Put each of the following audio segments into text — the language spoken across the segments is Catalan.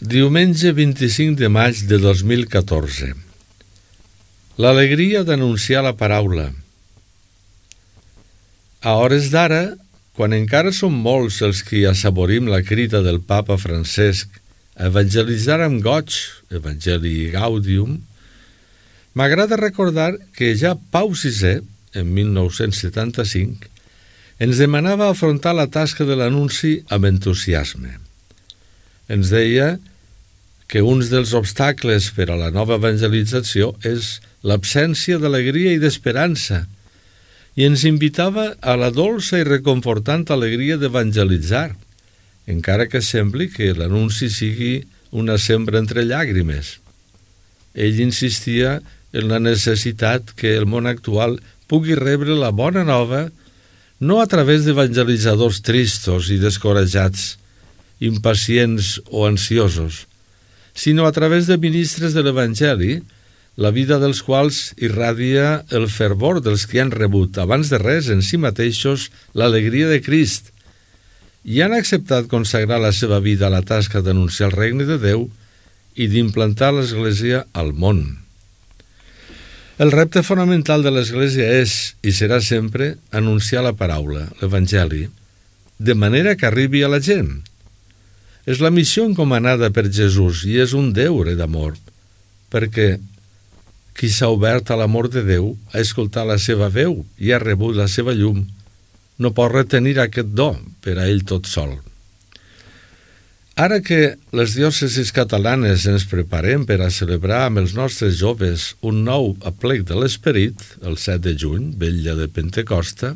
Diumenge 25 de maig de 2014. L'alegria d'anunciar la paraula. A hores d'ara, quan encara som molts els que assaborim la crida del papa Francesc a evangelitzar amb goig, Evangelii Gaudium, m'agrada recordar que ja Pau VI, en 1975, ens demanava afrontar la tasca de l'anunci amb entusiasme. Ens deia que un dels obstacles per a la nova evangelització és l'absència d'alegria i d'esperança i ens invitava a la dolça i reconfortant alegria d'evangelitzar, encara que sembli que l'anunci sigui una sembra entre llàgrimes. Ell insistia en la necessitat que el món actual pugui rebre la bona nova no a través d'evangelitzadors tristos i descoratjats, impacients o ansiosos, sinó a través de ministres de l'Evangeli, la vida dels quals irradia el fervor dels que han rebut, abans de res, en si mateixos, l'alegria de Crist, i han acceptat consagrar la seva vida a la tasca d'anunciar el regne de Déu i d'implantar l'Església al món. El repte fonamental de l'Església és, i serà sempre, anunciar la paraula, l'Evangeli, de manera que arribi a la gent. És la missió encomanada per Jesús i és un deure d'amor, perquè qui s'ha obert a l'amor de Déu, ha escoltat la seva veu i ha rebut la seva llum, no pot retenir aquest do per a ell tot sol. Ara que les diòcesis catalanes ens preparem per a celebrar amb els nostres joves un nou aplec de l'Esperit, el 7 de juny, vetlla de Pentecosta,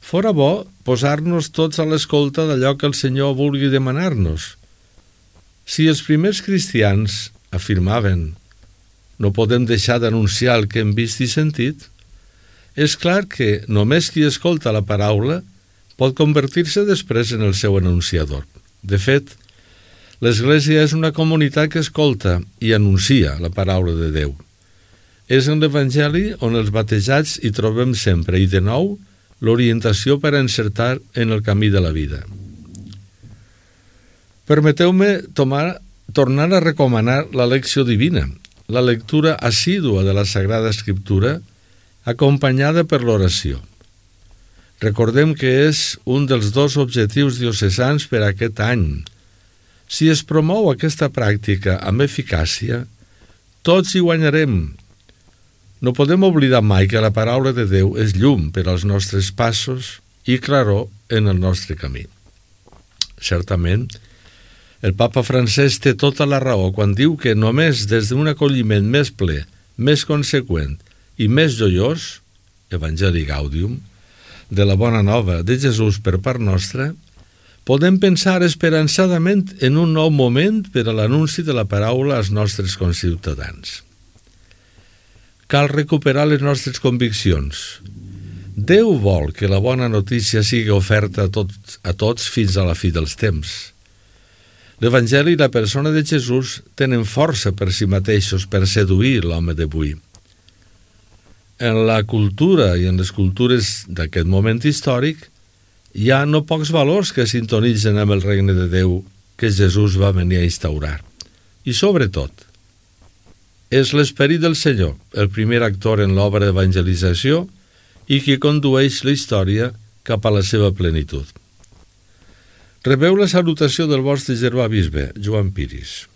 fora bo posar-nos tots a l'escolta d'allò que el Senyor vulgui demanar-nos. Si els primers cristians afirmaven «no podem deixar d'anunciar el que hem vist i sentit», és clar que només qui escolta la paraula pot convertir-se després en el seu anunciador. De fet, l'Església és una comunitat que escolta i anuncia la paraula de Déu. És en l'Evangeli on els batejats hi trobem sempre i de nou l'orientació per a encertar en el camí de la vida. Permeteu-me tornar a recomanar la lecció divina, la lectura assídua de la Sagrada Escriptura, acompanyada per l'oració. Recordem que és un dels dos objectius diocesans per a aquest any. Si es promou aquesta pràctica amb eficàcia, tots hi guanyarem. No podem oblidar mai que la paraula de Déu és llum per als nostres passos i claror en el nostre camí. Certament, el papa Francesc té tota la raó quan diu que només des d'un acolliment més ple, més conseqüent i més joiós, Evangelii Gaudium, de la bona nova de Jesús per part nostra, podem pensar esperançadament en un nou moment per a l'anunci de la paraula als nostres conciutadans. Cal recuperar les nostres conviccions. Déu vol que la bona notícia sigui oferta a tots fins a la fi dels temps. L'Evangeli i la persona de Jesús tenen força per si mateixos per seduir l'home d'avui. En la cultura i en les cultures d'aquest moment històric hi ha no pocs valors que sintonitzen amb el regne de Déu que Jesús va venir a instaurar. I sobretot, és l'Esperit del Senyor, el primer actor en l'obra d'evangelització i qui condueix la història cap a la seva plenitud. Rebeu la salutació del vostre germà bisbe, Joan Piris.